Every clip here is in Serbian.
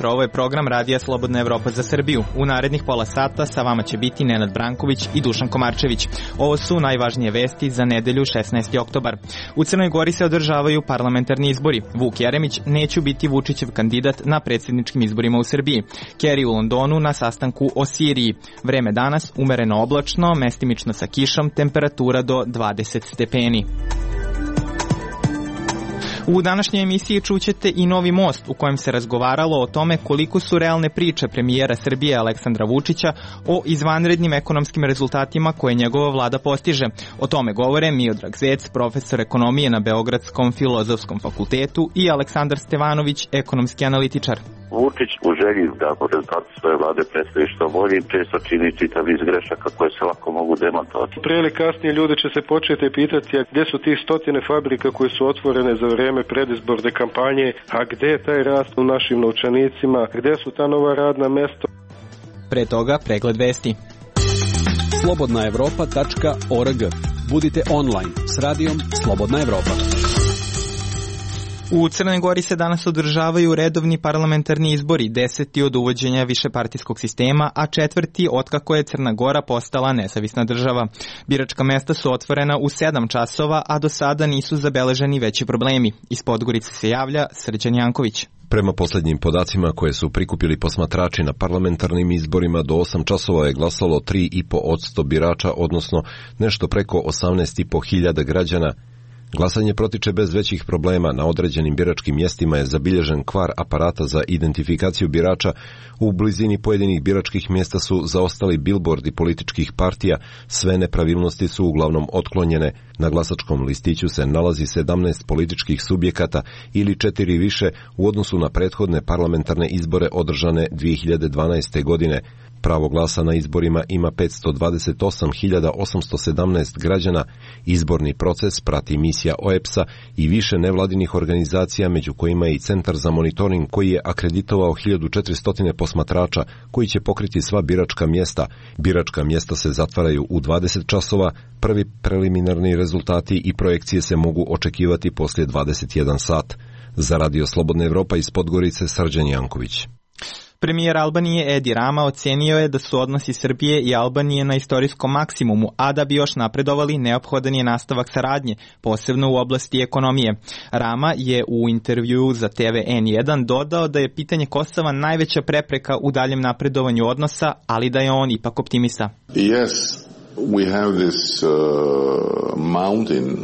jutro, ovo je program Radija Slobodna Evropa za Srbiju. U narednih pola sata sa vama će biti Nenad Branković i Dušan Komarčević. Ovo su najvažnije vesti za nedelju 16. oktobar. U Crnoj Gori se održavaju parlamentarni izbori. Vuk Jeremić neće biti Vučićev kandidat na predsjedničkim izborima u Srbiji. Kerry u Londonu na sastanku o Siriji. Vreme danas umereno oblačno, mestimično sa kišom, temperatura do 20 stepeni. U današnjoj emisiji čućete i novi most u kojem se razgovaralo o tome koliko su realne priče premijera Srbije Aleksandra Vučića o izvanrednim ekonomskim rezultatima koje njegova vlada postiže. O tome govore Miodrag Zec, profesor ekonomije na Beogradskom filozofskom fakultetu, i Aleksandar Stevanović, ekonomski analitičar. Vučić u želji da rezultati svoje vlade predstavi što bolje često čini čitav niz grešaka koje se lako mogu demontovati. Prije ili kasnije ljudi će se početi pitati gdje su tih stotine fabrika koje su otvorene za vrijeme predizborne kampanje, a gdje je taj rast u našim novčanicima, gdje su ta nova radna mesta. Pre toga pregled vesti. slobodnaevropa.org. Budite online s radijom Slobodna Evropa. U Crnoj Gori se danas održavaju redovni parlamentarni izbori, 10. od uvođenja višepartijskog sistema, a 4. otkako je Crna Gora postala nezavisna država. Biračka mesta su otvorena u 7 časova, a do sada nisu zabeleženi veći problemi. Iz Podgorice se javlja Srđan Janković. Prema posljednjim podacima koje su prikupili posmatrači na parlamentarnim izborima, do 8 časova je glasalo 3,5% birača, odnosno nešto preko 18.500 građana. Glasanje protiče bez većih problema. Na određenim biračkim mjestima je zabilježen kvar aparata za identifikaciju birača. U blizini pojedinih biračkih mjesta su zaostali bilbordi političkih partija. Sve nepravilnosti su uglavnom otklonjene. Na glasačkom listiću se nalazi 17 političkih subjekata ili 4 više u odnosu na prethodne parlamentarne izbore održane 2012. godine. Pravo glasa na izborima ima 528.817 građana. Izborni proces prati misija OEBS-a i više nevladinih organizacija, među kojima je i Centar za monitoring koji je akreditovao 1400 posmatrača koji će pokriti sva biračka mjesta. Biračka mjesta se zatvaraju u 20 časova. Prvi preliminarni rezultati i projekcije se mogu očekivati poslije 21 sat. Za Radio Slobodna Evropa iz Podgorice, Srđan Janković. Premijer Albanije Edi Rama ocenio je da su odnosi Srbije i Albanije na istorijskom maksimumu, a da bi još napredovali neophodan je nastavak saradnje, posebno u oblasti ekonomije. Rama je u intervjuu za TV N1 dodao da je pitanje Kosova najveća prepreka u daljem napredovanju odnosa, ali da je on ipak optimista. Yes, we have this mountain.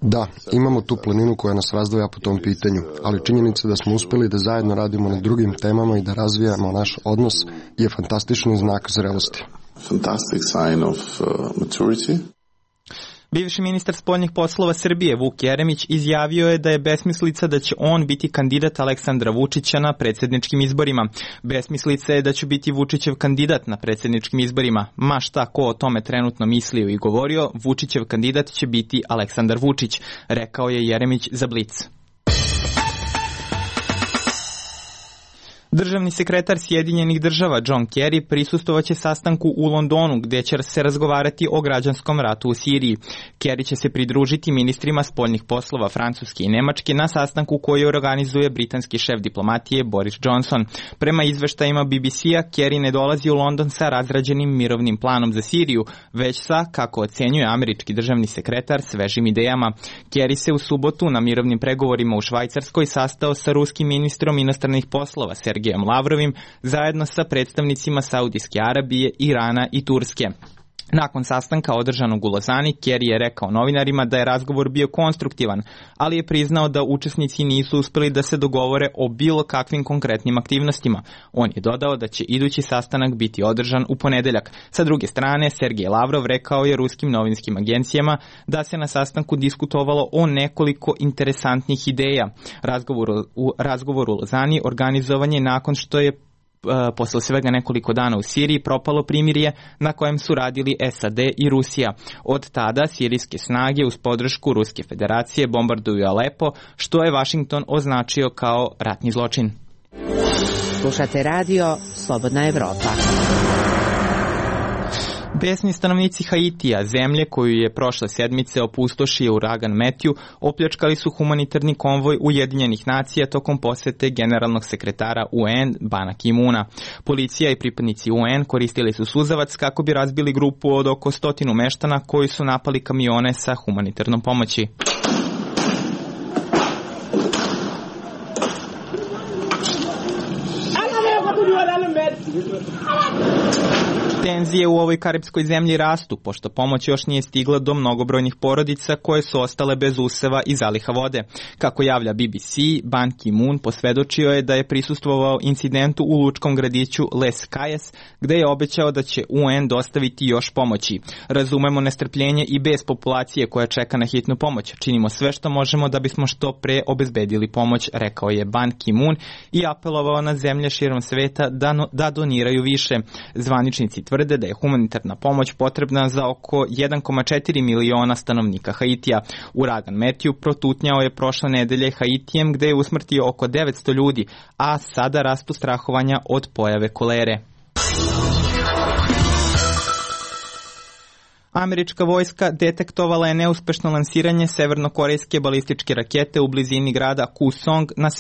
Da, imamo tu planinu koja nas razdvaja po tom pitanju, ali činjenica da smo uspjeli da zajedno radimo na drugim temama i da razvijamo naš odnos je fantastični znak zrelosti. Fantastic sign of maturity. Bivši ministar spoljnih poslova Srbije Vuk Jeremić izjavio je da je besmislica da će on biti kandidat Aleksandra Vučića na predsjedničkim izborima. Besmislica je da će biti Vučićev kandidat na predsjedničkim izborima. Ma šta ko o tome trenutno mislio i govorio, Vučićev kandidat će biti Aleksandar Vučić, rekao je Jeremić za Blic. Državni sekretar Sjedinjenih država John Kerry prisustvovaće sastanku u Londonu gdje će se razgovarati o građanskom ratu u Siriji. Kerry će se pridružiti ministrima spoljnih poslova Francuske i Nemačke na sastanku koji organizuje britanski šef diplomatije Boris Johnson. Prema izveštajima BBC-a, Kerry ne dolazi u London sa razrađenim mirovnim planom za Siriju, već sa, kako ocenjuje američki državni sekretar, svežim idejama. Kerry se u subotu na mirovnim pregovorima u Švajcarskoj sastao sa ruskim ministrom inostranih poslova Sergejem Lavrovim zajedno sa predstavnicima Saudijske Arabije, Irana i Turske. Nakon sastanka održanog u Lozani, Kerry je rekao novinarima da je razgovor bio konstruktivan, ali je priznao da učesnici nisu uspjeli da se dogovore o bilo kakvim konkretnim aktivnostima. On je dodao da će idući sastanak biti održan u ponedeljak. Sa druge strane, Sergej Lavrov rekao je ruskim novinskim agencijama da se na sastanku diskutovalo o nekoliko interesantnih ideja. Razgovor u Lozani organizovan je nakon što je posle svega nekoliko dana u Siriji propalo primirje na kojem su radili SAD i Rusija. Od tada sirijske snage uz podršku Ruske federacije bombarduju Alepo, što je Washington označio kao ratni zločin. Slušate radio Slobodna Evropa. Besni stanovnici Haitija, zemlje koju je prošle sedmice opustošio uragan Matthew, opljačkali su humanitarni konvoj Ujedinjenih nacija tokom posete generalnog sekretara UN Bana Ki-moona. Policija i pripadnici UN koristili su suzavac kako bi razbili grupu od oko 100 meštana koji su napali kamione sa humanitarnom pomoći. Tenzije u ovoj karipskoj zemlji rastu, pošto pomoć još nije stigla do mnogobrojnih porodica koje su ostale bez useva i zaliha vode. Kako javlja BBC, Ban Ki-moon posvedočio je da je prisustvovao incidentu u lučkom gradiću Les Cayes, gde je obećao da će UN dostaviti još pomoći. Razumemo nestrpljenje i bez populacije koja čeka na hitnu pomoć. Činimo sve što možemo da bismo što pre obezbedili pomoć, rekao je Ban Ki-moon i apelovao na zemlje širom sveta da doniraju više. Zvaničnici tvrde da je humanitarna pomoć potrebna za oko 1,4 miliona stanovnika Haitija. Uragan Matthew protutnjao je prošle nedelje Haitijem gde je usmrtio oko 900 ljudi, a sada rastu strahovanja od pojave kolere. Američka vojska detektovala je neuspešno lansiranje severnokorejske balističke rakete u blizini grada Kusong na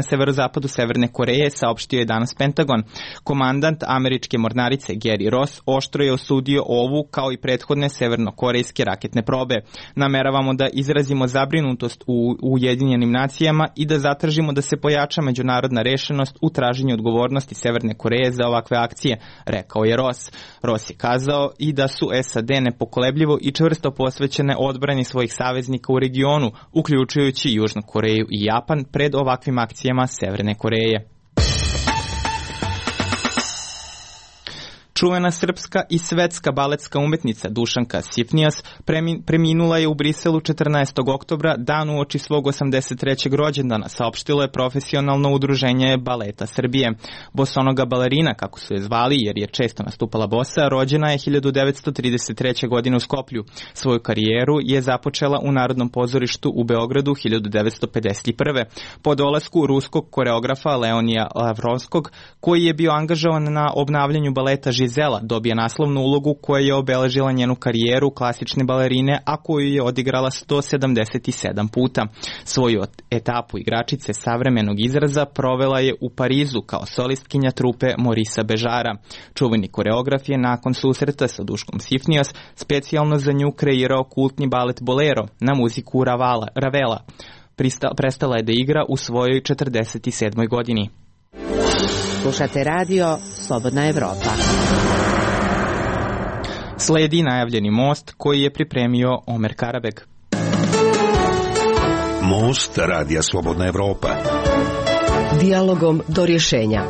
severozapadu Severne Koreje, saopštio je danas Pentagon. Komandant američke mornarice Gary Ross oštro je osudio ovu kao i prethodne severnokorejske raketne probe. Nameravamo da izrazimo zabrinutost u Ujedinjenim nacijama i da zatražimo da se pojača međunarodna rešenost u traženju odgovornosti Severne Koreje za ovakve akcije, rekao je Ross. Ross je kazao i da su SAD nepokolebljivo i čvrsto posvećene odbrani svojih saveznika u regionu, uključujući Južnu Koreju i Japan, pred ovakvim akcijama Severne Koreje. Čuvena srpska i svetska baletska umetnica Dušanka Sifnijas preminula je u Briselu 14. oktobra, dan uoči svog 83. rođendana, saopštilo je profesionalno udruženje Baleta Srbije. Bosonoga balerina, kako su je zvali jer je često nastupala bosa, rođena je 1933. godine u Skoplju. Svoju karijeru je započela u Narodnom pozorištu u Beogradu 1951. Po dolasku ruskog koreografa Leonija Lavrovskog, koji je bio angažovan na obnavljanju baleta Žizela, dobija naslovnu ulogu koja je obeležila njenu karijeru klasične balerine, a koju je odigrala 177 puta. Svoju etapu igračice savremenog izraza provela je u Parizu kao solistkinja trupe Morisa Bežara. Čuveni koreograf je nakon susreta sa Duškom Sifnijas specijalno za nju kreirao kultni balet Bolero na muziku Ravela. Prestala je da igra u svojoj 47. godini. Slušate radio Slobodna Evropa. Sledi najavljeni most koji je pripremio Omer Karabeg. Most radija Slobodna Evropa. Dijalogom do rješenja.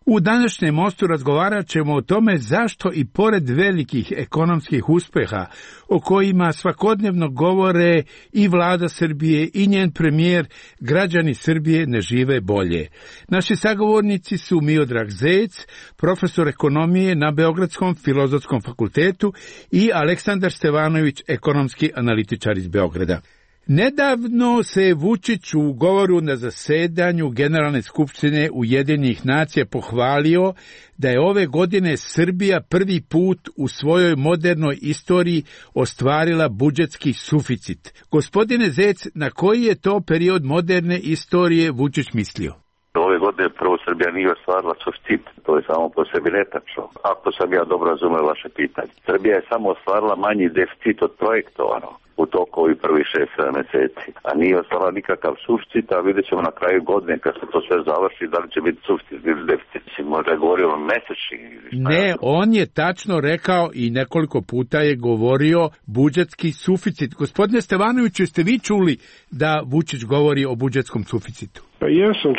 U današnjem mostu razgovarat ćemo o tome zašto i pored velikih ekonomskih uspeha o kojima svakodnevno govore i vlada Srbije i njen premijer, građani Srbije ne žive bolje. Naši sagovornici su Miodrag Zec, profesor ekonomije na Beogradskom filozofskom fakultetu, i Aleksandar Stevanović, ekonomski analitičar iz Beograda. Nedavno se Vučić u govoru na zasedanju Generalne skupštine Ujedinjenih nacija pohvalio da je ove godine Srbija prvi put u svojoj modernoj istoriji ostvarila budžetski suficit. Gospodine Zec, na koji je to period moderne istorije Vučić mislio? Ove godine prvo Srbija nije ostvarila suficit, to je samo po sebi netačno. Ako sam ja dobro razumeo vaše pitanje. Srbija je samo ostvarila manji deficit od projektovano u toku ovih prvih 6-7 meseci. A nije ostvarila nikakav suficit, a vidjet ćemo na kraju godine kad se to sve završi da li će biti suficit ili deficit. Možda je govorio o mesečni. Ne, on je tačno rekao i nekoliko puta je govorio budžetski suficit. Gospodine Stevanoviću, jeste vi čuli da Vučić govori o budžetskom suficitu? Pa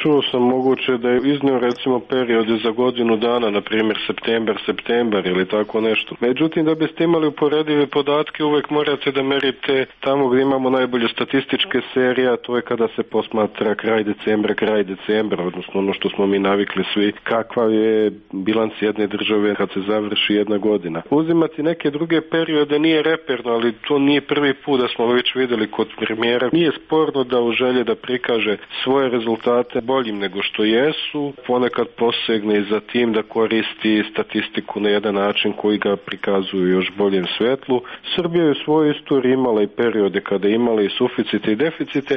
čuo sam moguće da je iznio recimo periode za godinu dana, na primjer septembar ili tako nešto. Međutim, da biste imali uporedive podatke, uvek morate da merite tamo gdje imamo najbolje statističke serije, a to je kada se posmatra kraj decembra, odnosno ono što smo mi navikli svi, kakva je bilans jedne države kad se završi jedna godina. Uzimati neke druge periode nije reperno, ali to nije prvi put da smo već vidjeli kod premijera. Nije sporno da u želje da prikaže svoje rezultate rezultate boljim nego što jesu, ponekad posegne i za tim da koristi statistiku na jedan način koji ga prikazuju još boljem svetlu. Srbija je u svojoj istoriji imala i periode kada je imala i suficite i deficite.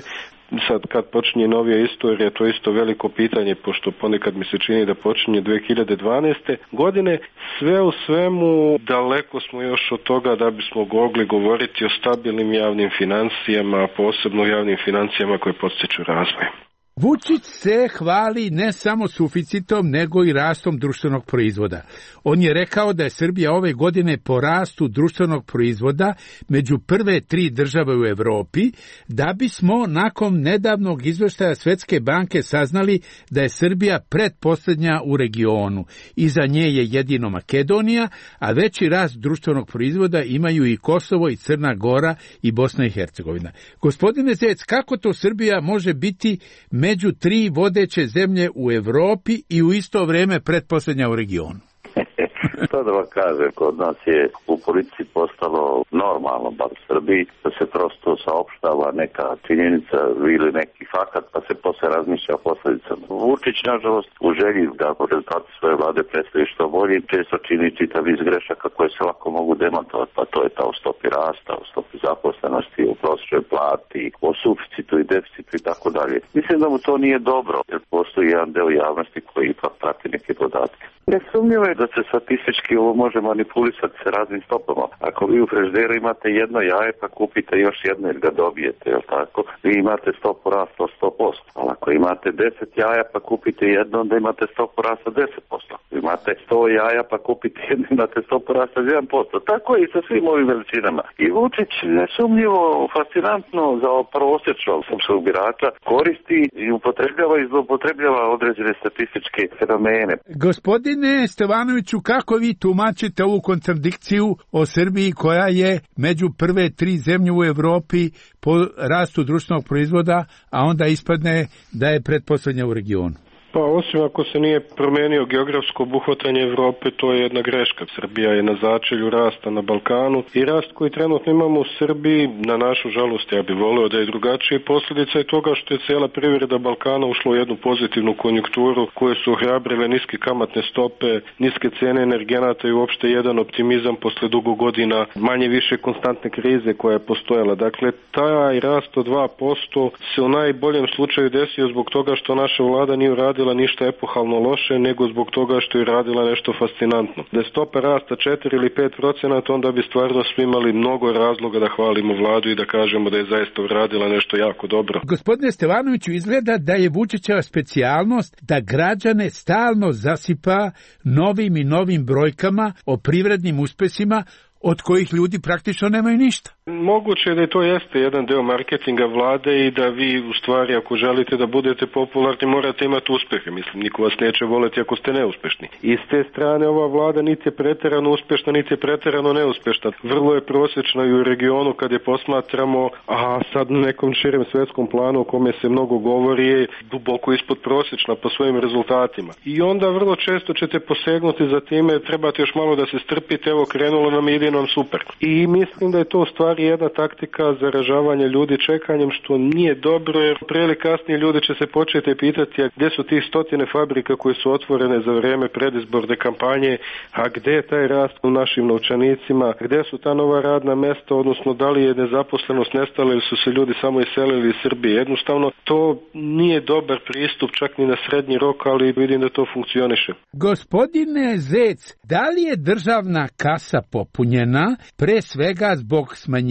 Sad kad počinje novija istorija, to je isto veliko pitanje, pošto ponekad mi se čini da počinje 2012. godine. Sve u svemu daleko smo još od toga da bismo mogli govoriti o stabilnim javnim financijama, posebno javnim financijama koje podstiču razvoj. Vučić se hvali ne samo suficitom, nego i rastom društvenog proizvoda. On je rekao da je Srbija ove godine po rastu društvenog proizvoda među prve 3 države u Evropi, da bismo nakon nedavnog izveštaja Svetske banke saznali da je Srbija pretposlednja u regionu. Iza nje je jedino Makedonija, a veći rast društvenog proizvoda imaju i Kosovo i Crna Gora i Bosna i Hercegovina. Gospodine Zec, kako to Srbija može biti među 3 vodeće zemlje u Evropi i u isto vrijeme pretposlednja u regionu? To da vam kažem, kod nas je u politici postalo normalno, bar u Srbiji, da se prosto saopštava neka činjenica ili neki fakat, pa se posle razmišlja o posledicama. Vučić, nažalost, u želji da rezultati svoje vlade predstavi što bolje, često čini čitav iz grešaka koje se lako mogu demantovati, pa to je ta o stopi rasta, o stopi zaposlenosti, o prosječnoj plati, o suficitu i deficitu i tako dalje. Mislim da mu to nije dobro, jer postoji jedan deo javnosti koji ipak prati neke podatke. Nesumnjivo je da se statistički ovo može manipulisati sa raznim stopama. Ako vi u frižideru imate jedno jaje, pa kupite još jedno jer ga dobijete, jel tako? Vi imate stopu rasta od 100%. Ali ako imate 10 jaja, pa kupite jedno, onda imate stopu rasta 10%. Imate 100 jaja, pa kupite jedno, imate stopu rasta 1%. Tako je i sa svim ovim veličinama. I Vučić nesumnjivo fascinantno za prosječnog srpskog birača koristi i upotrebljava i zloupotrebljava određene statističke fenomene. Gospodine Stevanoviću, kako vi tumačite ovu kontradikciju o Srbiji koja je među prve 3 zemlje u Evropi po rastu društvenog proizvoda, a onda ispadne da je pretposlednja u regionu? Pa osim ako se nije promenio geografsko obuhvatanje Evrope, to je jedna greška. Srbija je na začelju rasta na Balkanu i rast koji trenutno imamo u Srbiji, na našu žalost, ja bih voleo da je drugačije. Posljedica je toga što je cijela privreda Balkana ušla u jednu pozitivnu konjunkturu koje su ohrabrile niske kamatne stope, niske cene energenata i uopšte jedan optimizam posle dugo godina manje više konstantne krize koja je postojala. Dakle, taj rast od 2% se u najboljem slučaju desio zbog toga što naša vlada nije uradila ništa epohalno loše, nego zbog toga što je radila nešto fascinantno. Da je stopa rasta 4 ili 5%, onda bi stvarno svi imali mnogo razloga da hvalimo vladu i da kažemo da je zaista uradila nešto jako dobro. Gospodine Stevanoviću, izgleda da je Vučićeva specijalnost da građane stalno zasipa novim i novim brojkama o privrednim uspesima od kojih ljudi praktično nemaju ništa. Moguće je da to jeste jedan deo marketinga vlade i da vi u stvari ako želite da budete popularni morate imati uspehe. Mislim, niko vas neće voleti ako ste neuspešni. I s te strane ova vlada niti je preterano uspešna, niti je preterano neuspešna. Vrlo je prosječna i u regionu kad je posmatramo, a sad na nekom širem svetskom planu o kome se mnogo govori je duboko ispod prosječna po svojim rezultatima. I onda vrlo često ćete posegnuti za time, trebate još malo da se strpite, evo krenulo nam, ide nam super. I mislim da je to u stvari jedna taktika zaražavanja ljudi čekanjem, što nije dobro, jer prije ili kasnije ljudi će se početi pitati gdje su tih stotine fabrika koje su otvorene za vrijeme predizborne kampanje, a gdje je taj rast u našim novčanicima, gdje su ta nova radna mesta, odnosno da li je nezaposlenost nestala ili su se ljudi samo iselili iz Srbije. Jednostavno, to nije dobar pristup čak ni na srednji rok, ali vidim da to funkcioniše. Gospodine Zec, da li je državna kasa popunjena pre svega zbog smanjenja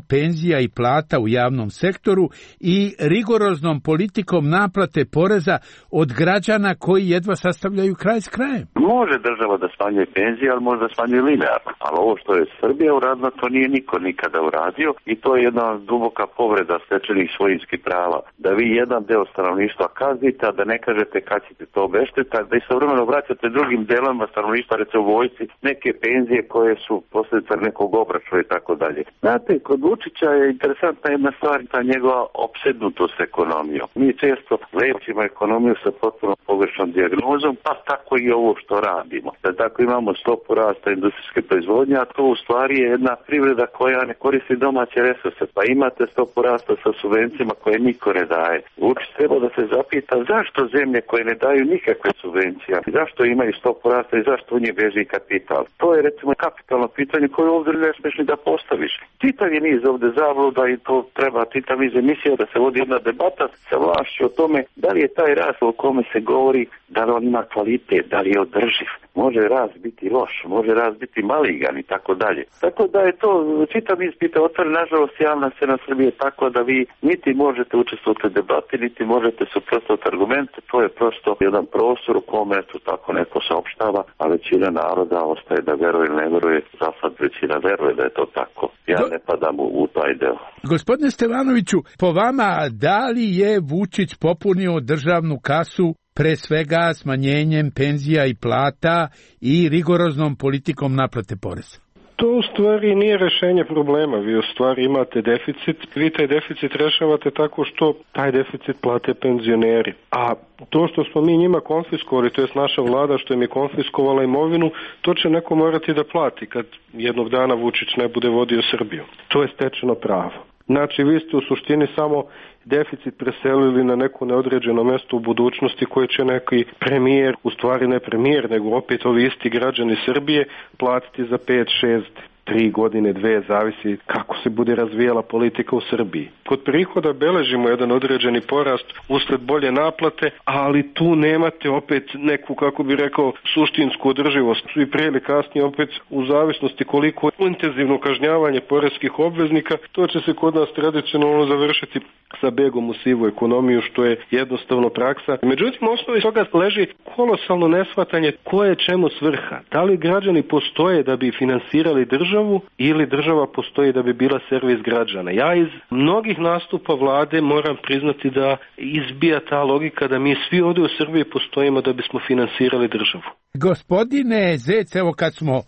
penzija i plata u javnom sektoru i rigoroznom politikom naplate poreza od građana koji jedva sastavljaju kraj s krajem? Može država da smanjuje penzije, ali može da smanjuje linearno. Ali ovo što je Srbija uradila, to nije niko nikada uradio i to je jedna duboka povreda stečenih svojinskih prava. Da vi jedan deo stanovništva kaznite, a da ne kažete kad ćete to obeštetiti, da istovremeno vraćate drugim delama stanovništva, recimo u vojsci, neke penzije koje su posljedica nekog obračuna i tako dalje. Znate, kod Vučića je interesantna jedna stvar, ta njegova opsednutost ekonomijom. Mi često lečimo ekonomiju sa potpuno pogrešnom dijagnozom, pa tako i ovo što radimo. Da tako imamo stopu rasta industrijske proizvodnje, a to u stvari je jedna privreda koja ne koristi domaće resurse, pa imate stopu rasta sa subvencijama koje niko ne daje. Vučić treba da se zapita zašto zemlje koje ne daju nikakve subvencije, zašto imaju stopu rasta i zašto u nje beži kapital. To je recimo kapitalno pitanje koje ovdje ne smiješ ni da postaviš. Čitav je niz ovdje zabluda i to treba čitav niz emisija da se vodi jedna debata sa vlašću o tome da li je taj rast o kome se govori, da li on ima kvalitet, da li je održiv. Može rast biti loš, može rast biti maligan i tako dalje. Tako da je to čitav niz pitanja. Nažalost, javna scena Srbije je tako da vi niti možete učestvovati u debati, niti možete suprotstaviti argumente. To je prosto jedan prostor u kome to tako neko saopštava, a većina naroda ostaje da veruje ili ne veruje. Za sad većina veruje da je to tako. Ja ne padam u taj deo. Gospodine Stevanoviću, po vama, da li je Vučić popunio državnu kasu pre svega smanjenjem penzija i plata i rigoroznom politikom naplate poreza? To u stvari nije rešenje problema, vi u stvari imate deficit, vi taj deficit rešavate tako što taj deficit plate penzioneri. A to što smo mi njima konfiskovali, to je naša vlada što im je konfiskovala imovinu, to će neko morati da plati kad jednog dana Vučić ne bude vodio Srbiju. To je stečeno pravo. Znači, vi ste u suštini samo deficit preselili na neko neodređeno mesto u budućnosti koje će neki premijer, u stvari ne premijer, nego opet ovi isti građani Srbije platiti za 5, 6, 3 godine, 2, zavisi kako se bude razvijala politika u Srbiji. Kod prihoda beležimo jedan određeni porast usled bolje naplate, ali tu nemate opet neku, kako bi rekao, suštinsku održivost. I pre ili kasnije opet u zavisnosti koliko intenzivno kažnjavanje poreskih obveznika, to će se kod nas tradicionalno završiti sa begom u sivu ekonomiju, što je jednostavno praksa. Međutim, osnovi toga leži kolosalno neshvatanje koje je čemu svrha. Da li građani postoje da bi finansirali državu ili država postoji da bi bila servis građana. Ja iz mnogih nastupa vlade moram priznati da izbija ta logika da mi svi ovdje u Srbiji postojimo da bismo finansirali državu. Gospodine Zec, evo kad smo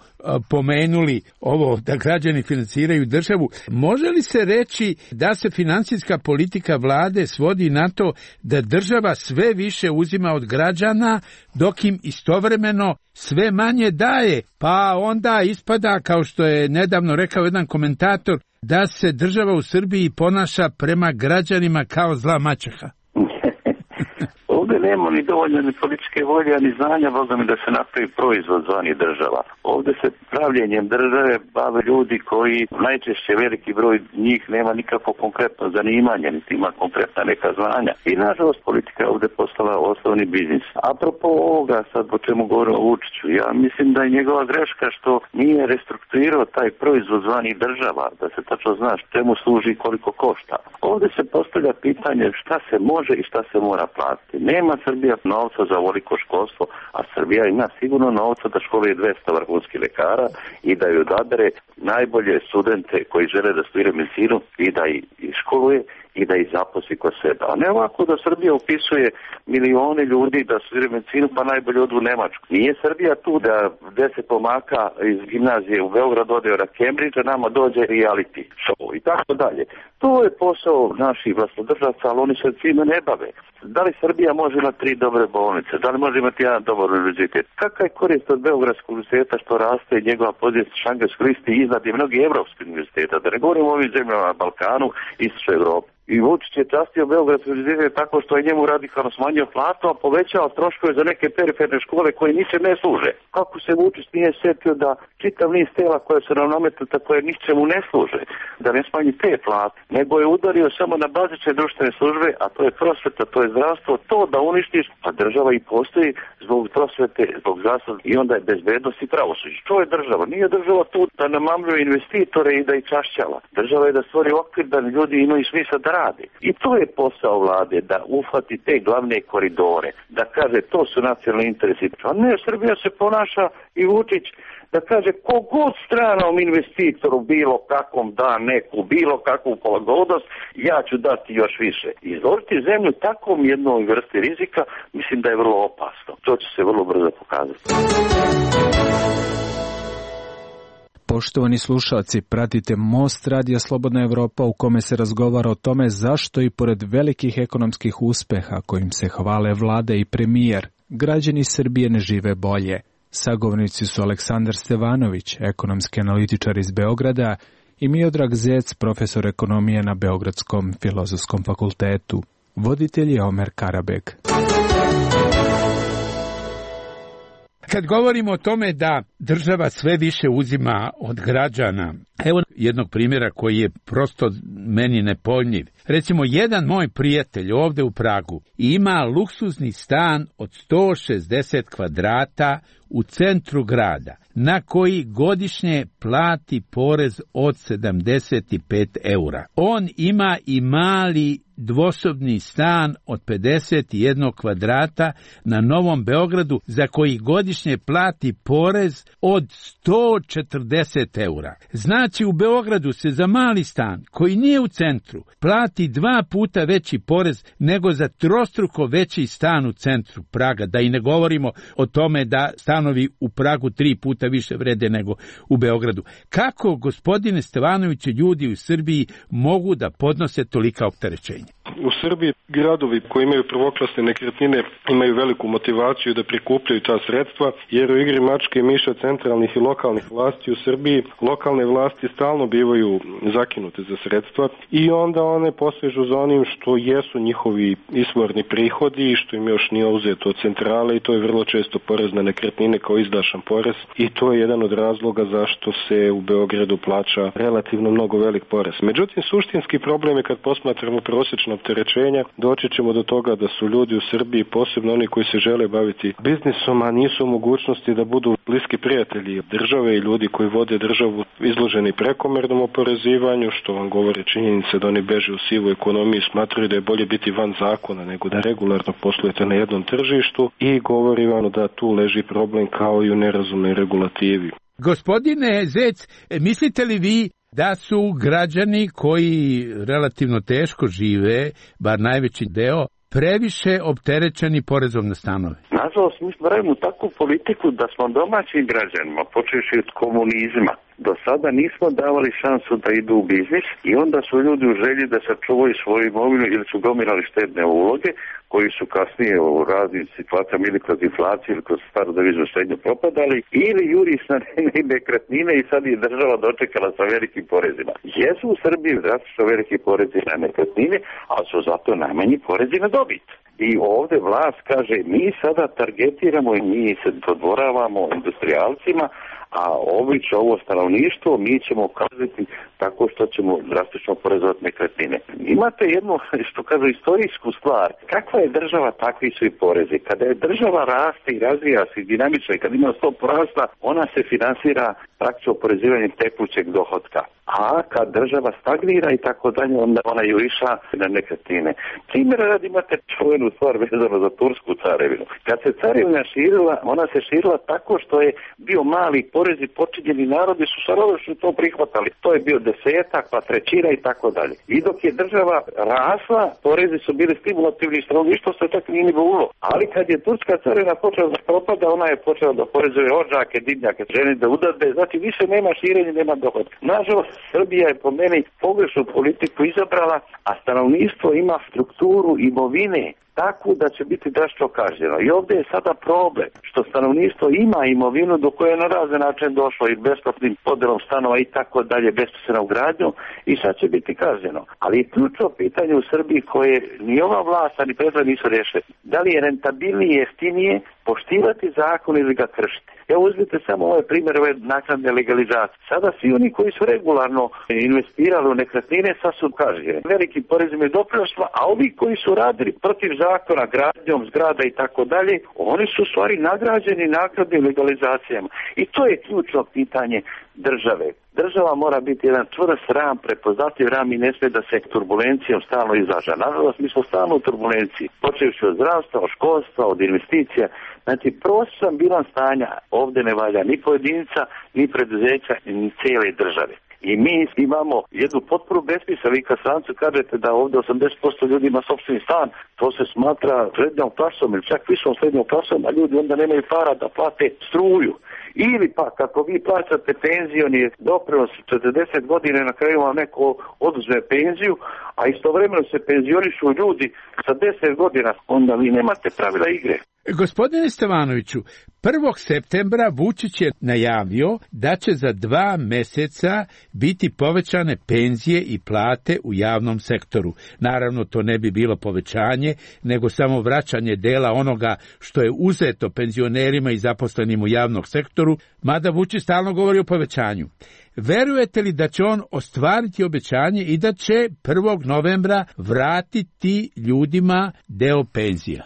pomenuli ovo da građani finansiraju državu, može li se reći da se finansijska politika vlade svodi na to da država sve više uzima od građana, dok im istovremeno sve manje daje, pa onda ispada, kao što je nedavno rekao jedan komentator, da se država u Srbiji ponaša prema građanima kao zla maćeha? Ovdje nema ni dovoljno ni političke volje, ni znanja, Boga mi da se napravi proizvod zvani država. Ovdje se pravljenjem države bave ljudi koji najčešće veliki broj njih nema nikakvo konkretno zanimanje, niti ima konkretna neka znanja. I nažalost politika je ovdje postala osnovni biznis. Apropo ovoga sad o čemu govorimo o Vučiću, ja mislim da je njegova greška što nije restrukturirao taj proizvod zvani država, da se tačno zna čemu služi i koliko košta. Ovdje se postavlja pitanje šta se može i šta se mora platiti. Nema Srbija novca za ovoliko školstvo, a Srbija ima sigurno novca da školuje 200 vrhunskih lekara i da ju odabere najbolje studente koji žele da studiraju medicinu i da ih školuje i da ih zaposli kod sebe. A ne ovako da Srbija upisuje milione ljudi da studiraju medicinu pa najbolje odu u Nemačku. Nije Srbija tu da 10 pomaka iz gimnazije u Beograd ode na Cambridge, a nama dođe reality show i tako dalje. To je posao naših vlastodržavaca, ali oni se time ne bave. Da li Srbija može imati 3 dobre bolnice? Da li može imati jedan dobar univerzitet? Kakva je korist od Beogradskog univerziteta što raste i njegova pozicija šangajskoj listi iznad i mnogi evropskih univerziteta? Da ne govorimo o ovim zemljama na Balkanu, Istočnoj Evropi. I Vučić je častio Beogradski univerzitet tako što je njemu radikalno smanjio platu, a povećao troškove za neke periferne škole koje ničem ne služe. Kako se Vučić nije sjetio da čitav niz tela koje su nam nametnuta koje ničemu ne služe, da ne smanji te plate, nego je udario samo na bazične društvene službe, a to je prosveta, to je zdravstvo, to da uništiš, a država i postoji zbog prosvete, zbog zdravstva i onda je bezbednost i pravosuđe. Što je država? Nije država tu da namamljuje investitore i da ih čašćava. Država je da stvori okvir da ljudi imaju smisla da rade. I to je posao vlade, da uhvati te glavne koridore, da kaže to su nacionalni interesi. A ne, Srbija se ponaša i Vučić da kaže kogod stranom investitoru bilo kakvom da neku, bilo kakvu pogodnost, ja ću dati još više. Izložiti zemlju takvom jednoj vrsti rizika, mislim da je vrlo opasno. To će se vrlo brzo pokazati. Poštovani slušalci, pratite Most radija Slobodna Evropa u kome se razgovara o tome zašto i pored velikih ekonomskih uspeha kojim se hvale vlada i premijer, građani Srbije ne žive bolje. Sagovornici su Aleksandar Stevanović, ekonomski analitičar iz Beograda, i Miodrag Zec, profesor ekonomije na Beogradskom filozofskom fakultetu. Voditelj je Omer Karabeg. Kad govorimo o tome da država sve više uzima od građana, evo jednog primjera koji je prosto meni nepojmljiv. Recimo, jedan moj prijatelj ovde u Pragu ima luksuzni stan od 160 kvadrata u centru grada, na koji godišnje plati porez od 75 eura. On ima i mali dvosobni stan od 51 kvadrata na Novom Beogradu, za koji godišnje plati porez od 140 eura. Znači, u Beogradu se za mali stan, koji nije u centru, plati 2 puta veći porez nego za trostruko veći stan u centru Praga. Da i ne govorimo o tome da stanovi u Pragu 3 puta više vrede nego u Beogradu. Kako, gospodine Stevanoviću, ljudi u Srbiji mogu da podnose tolika opterećenja? U Srbiji gradovi koji imaju prvoklasne nekretnine imaju veliku motivaciju da prikupljaju ta sredstva, jer u igri mačke i miša centralnih i lokalnih vlasti u Srbiji lokalne vlasti stalno bivaju zakinute za sredstva i onda one posežu za onim što jesu njihovi izvorni prihodi i što im još nije uzeto od centrale, i to je vrlo često porez na nekretnine kao izdašan porez, i to je jedan od razloga zašto se u Beogradu plaća relativno mnogo velik porez. Međutim, suštinski problem je kad posmatramo prosječno opterećenja, doći ćemo do toga da su ljudi u Srbiji, posebno oni koji se žele baviti biznisom, a nisu u mogućnosti da budu bliski prijatelji države i ljudi koji vode državu, izloženi prekomernom oporezivanju, što vam govore činjenice da oni beže u sivu ekonomiju i smatraju da je bolje biti van zakona nego da regularno poslujete na jednom tržištu, i govori vam da tu leži problem kao i u nerazumnoj regulativi. Gospodine Zec, mislite li vi da su građani koji relativno teško žive, bar najveći deo, previše opterećeni porezom na stanove? Nažalost, mi smo radimo takvu politiku da smo domaćim građanima, počevši od komunizma, do sada nismo davali šansu da idu u biznis, i onda su ljudi u želji da sačuvaju svoju imovinu ili su gomilali štedne uloge koji su kasnije u raznim situacijama ili kroz inflaciju ili kroz staru deviznu štednju propadali, ili juri na nekretnine i sad je država dočekala sa velikim porezima. Jesu u Srbiji drastično veliki porezi na nekretnine, ali su zato najmanji porezi na dobit. I ovde vlast kaže, mi sada targetiramo i mi se dodvoravamo industrijalcima, a ovi će ovo stanovništvo, mi ćemo ukazati tako što ćemo drastično porezovati nekretnine. Imate jednu, što kažu, istorijsku stvar. Kakva je država, takvi su i porezi. Kada je država raste i razvija se dinamično i kad ima stopu rasta, ona se finansira praktično oporezivanjem tekućeg dohotka. A kad država stagnira i tako dalje, onda ona juriša na nekretnine. Primjer radi, imate čuvenu stvar vezano za tursku carevinu. Kad se carevina širila, ona se širila tako što je bio mali porez i počinjeni narodi su sarovečno to prihvatali. To je bio 10, pa 1/3 i tako dalje. I dok je država rasla, porezi su bili stimulativni, stanovništvo se tako nije ni bilo. Ali kad je turska carevina počela da propada, ona je počela da porezuje odžake, divnjake, žene da udade, znači više nema širenja, nema dohodka. Nažalost, Srbija je po meni pogrešnu politiku izabrala, a stanovništvo ima strukturu imovine takvu da će biti drastično kažnjeno. I ovdje je sada problem što stanovništvo ima imovinu do koje je na razne način došlo i besplatnim podelom stanova i tako dalje, besposrednom gradnjom, i sad će biti kažnjeno. Ali ključno pitanje u Srbiji koje ni ova vlast ni prethodna nisu rješili. Da li je rentabilnije, jeftinije poštivati zakon ili ga kršiti? Evo uzmite samo ovaj primjer ove naknadne legalizacije. Sada svi oni koji su regularno investirali u nekretnine sad su kažnjeni velikim porezima i doprinosima, a ovi koji su radili protiv zakona, gradnjom zgrada i tako dalje, oni su u stvari nagrađeni naknadnim legalizacijama. I to je ključno pitanje države. Država mora biti jedan čvrst ram, prepoznatljiv ram, i ne smije da se turbulencijom stalno izlaža. Nažalost, mi smo stalno u turbulenciji, počevši od zdravstva, od školstva, od investicija. Znači, prosječan bilans stanja ovdje ne valja ni pojedinca, ni preduzeća, ni cijele države. I mi imamo jednu potpunu besmisao. Vi kad strancu kažete da ovdje 80% ljudi ima sopstveni stan, to se smatra srednjom klasom ili čak višom srednjom klasom, a ljudi onda nemaju para da plate struju Ili pa kako vi plaćate penzioni doprinos 40 godina, na kraju vam neko oduzme penziju, a istovremeno se penzionišu ljudi sa 10 godina, onda vi nemate pravila igre. Gospodine Stevanoviću, 1. septembra Vučić je najavio da će za 2 meseca biti povećane penzije i plate u javnom sektoru. Naravno, to ne bi bilo povećanje, nego samo vraćanje dela onoga što je uzeto penzionerima i zaposlenim u javnom sektoru, mada Vučić stalno govori o povećanju. Verujete li da će on ostvariti obećanje i da će 1. novembra vratiti ljudima deo penzija?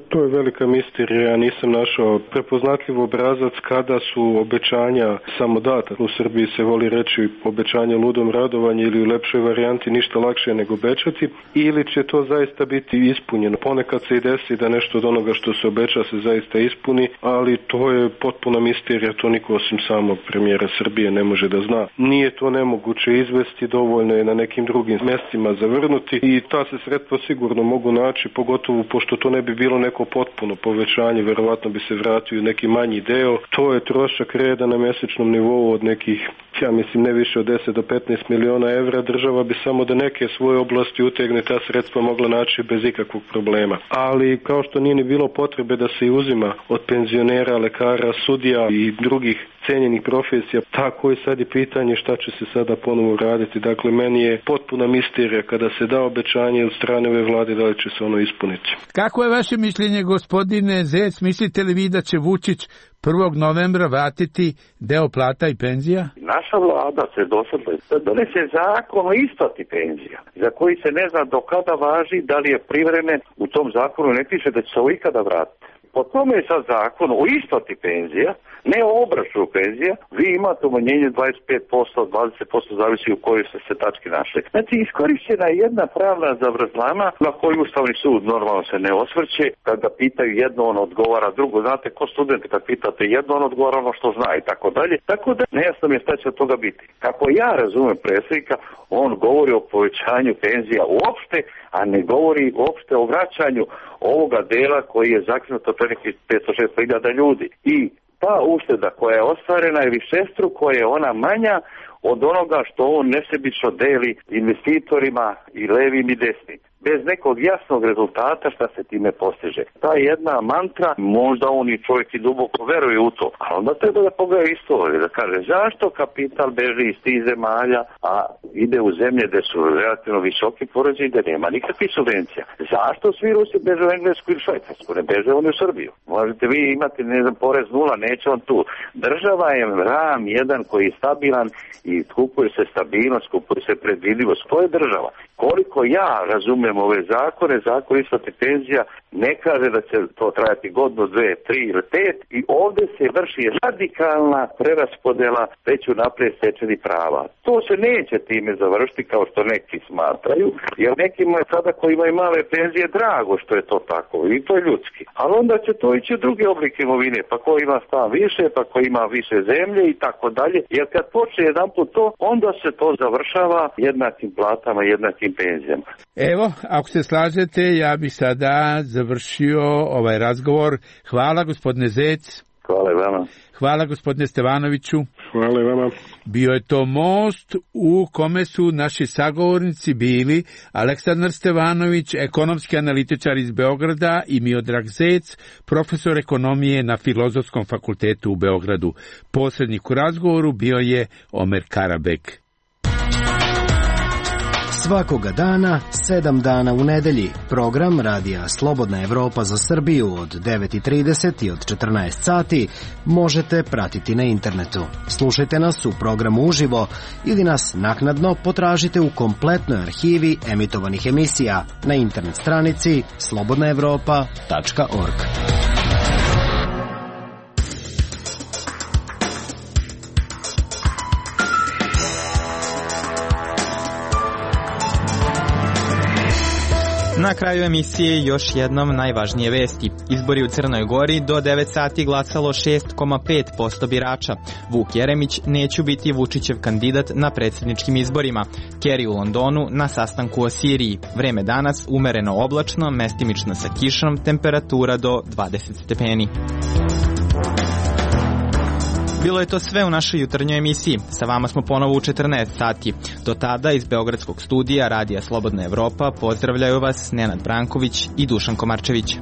To je velika misterija, ja nisam našao prepoznatljiv obrazac kada su obećanja samo data. U Srbiji se voli reći obećanje ludom radovanje ili u lepšoj varijanti ništa lakše nego obećati, ili će to zaista biti ispunjeno. Ponekad se i desi da nešto od onoga što se obeća se zaista ispuni, ali to je potpuna misterija, to niko osim samog premijera Srbije ne može da zna. Nije to nemoguće izvesti, dovoljno je na nekim drugim mestima zavrnuti i ta se sredstva sigurno mogu naći, pogotovo pošto to ne bi bilo neko potpuno povećanje, verovatno bi se vratio neki manji deo. To je trošak reda na mesečnom nivou od nekih, ja mislim, ne više od 10 do 15 miliona evra. Država bi samo da neke svoje oblasti utegne ta sredstva mogla naći bez ikakvog problema. Ali kao što nije ni bilo potrebe da se uzima od penzionera, lekara, sudija i drugih cenjenih profesija, tako je sad i pitanje šta će se sada ponovo raditi. Dakle, meni je potpuna misterija kada se da obećanje od strane ove vlade, da li će se ono ispuniti. Kako je vaše mišljenje, gospodine Zec? Mislite li vi da će Vučić 1. novembra vratiti deo plata i penzija? Naša vlada se dosadla da donese zakon o isplati penzija, za koji se ne zna do kada važi, da li je privremen. U tom zakonu ne piše da će se ovo ikada vratiti. Po tome je sad zakon o isplati penzija, ne o obračunu penzija. Vi imate umanjenje 25%, 20%, zavisi u kojoj se tački našli. Znači, iskorišćena je jedna pravna zavrzlama na koju Ustavni sud normalno se ne osvrće. Kad ga pitaju jedno, on odgovara drugo. Znate, ko student, kad pitate jedno, on odgovara ono što zna i tako dalje. Tako da nejasno mi je šta će od toga biti. Kako ja razumem predsjednika, on govori o povećanju penzija uopšte, a ne govori uopšte o vraćanju ovoga dela koji je zakinuto pre nekih 500-600 ljudi. I ta ušteda koja je ostvarena je višestruko, je ona manja od onoga što on nesebično deli investitorima i levim i desnim. Bez nekog jasnog rezultata šta se time postiže. Ta jedna mantra, možda on i čovjek i duboko veruje u to, ali onda treba da pogleda istoriju, da kaže zašto kapital beži iz tih zemalja, a ide u zemlje gde su relativno visoki porezi i gde nema nikakvih subvencija. Zašto svi Rusi beže u Englesku ili Švajcarsku, ne beže oni u Srbiju? Možete vi imati, ne znam, porez 0, neće on tu. Država je ram jedan koji je stabilan i kupuje se stabilnost, kupuje se predvidivost. To je država. Koliko ja razumem ove zakone, zakon isplate penzija ne kaže da će to trajati godinu, 2, 3 ili 5 i ovdje se vrši radikalna preraspodela već unaprijed stečenih prava. To se neće time završiti kao što neki smatraju, jer nekima je sada koji imaju male penzije drago što je to tako i to je ljudski. Ali onda će to ići u druge oblike imovine, pa ko ima stan više, pa ko ima više zemlje i tako dalje, jer kad počne jedanput to, onda se to završava jednakim platama, jednakim penzijama. Evo, ako se slažete, ja bih sada završio ovaj razgovor. Hvala, gospodine Zec. Hvala i vama. Hvala, gospodine Stevanoviću. Hvala i vama. Bio je to most u kome su naši sagovornici bili Aleksandar Stevanović, ekonomski analitičar iz Beograda, i Miodrag Zec, profesor ekonomije na Filozofskom fakultetu u Beogradu. Posrednik u razgovoru bio je Omer Karabek. Svakoga dana, 7 dana u nedelji, program Radija Slobodna Evropa za Srbiju od 9:30 i od 14 sati možete pratiti na internetu. Slušajte nas u programu uživo ili nas naknadno potražite u kompletnoj arhivi emitovanih emisija na internet stranici slobodnaevropa.org. Na kraju emisije još jednom najvažnije vesti. Izbori u Crnoj Gori, do 9 sati glasalo 6,5% birača. Vuk Jeremić neće biti Vučićev kandidat na predsjedničkim izborima. Kerry u Londonu na sastanku o Siriji. Vreme danas umereno oblačno, mestimično sa kišom, temperatura do 20 stepeni. Bilo je to sve u našoj jutarnjoj emisiji. Sa vama smo ponovo u 14 sati. Do tada iz Beogradskog studija Radija Slobodna Evropa pozdravljaju vas Nenad Branković i Dušan Komarčević.